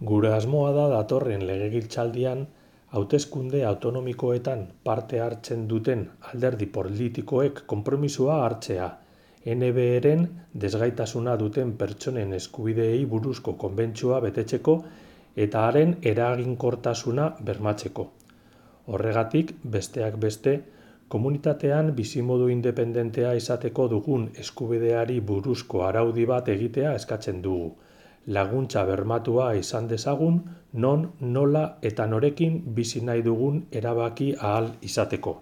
Gure asmoa da datorren legegintzaldian hauteskunde autonomikoetan parte hartzen duten alderdi politikoek konpromisoa hartzea, NBeren desgaitasuna duten pertsonen eskubideei buruzko konbentzioa betetzeko eta haren eraginkortasuna bermatzeko. Horregatik, besteak beste, komunitatean bizimodu independentea izateko dugun eskubideari buruzko araudi bat egitea eskatzen dugu. Laguntza bermatua izan dezagun, non, nola eta norekin bizi nahi dugun erabaki ahal izateko.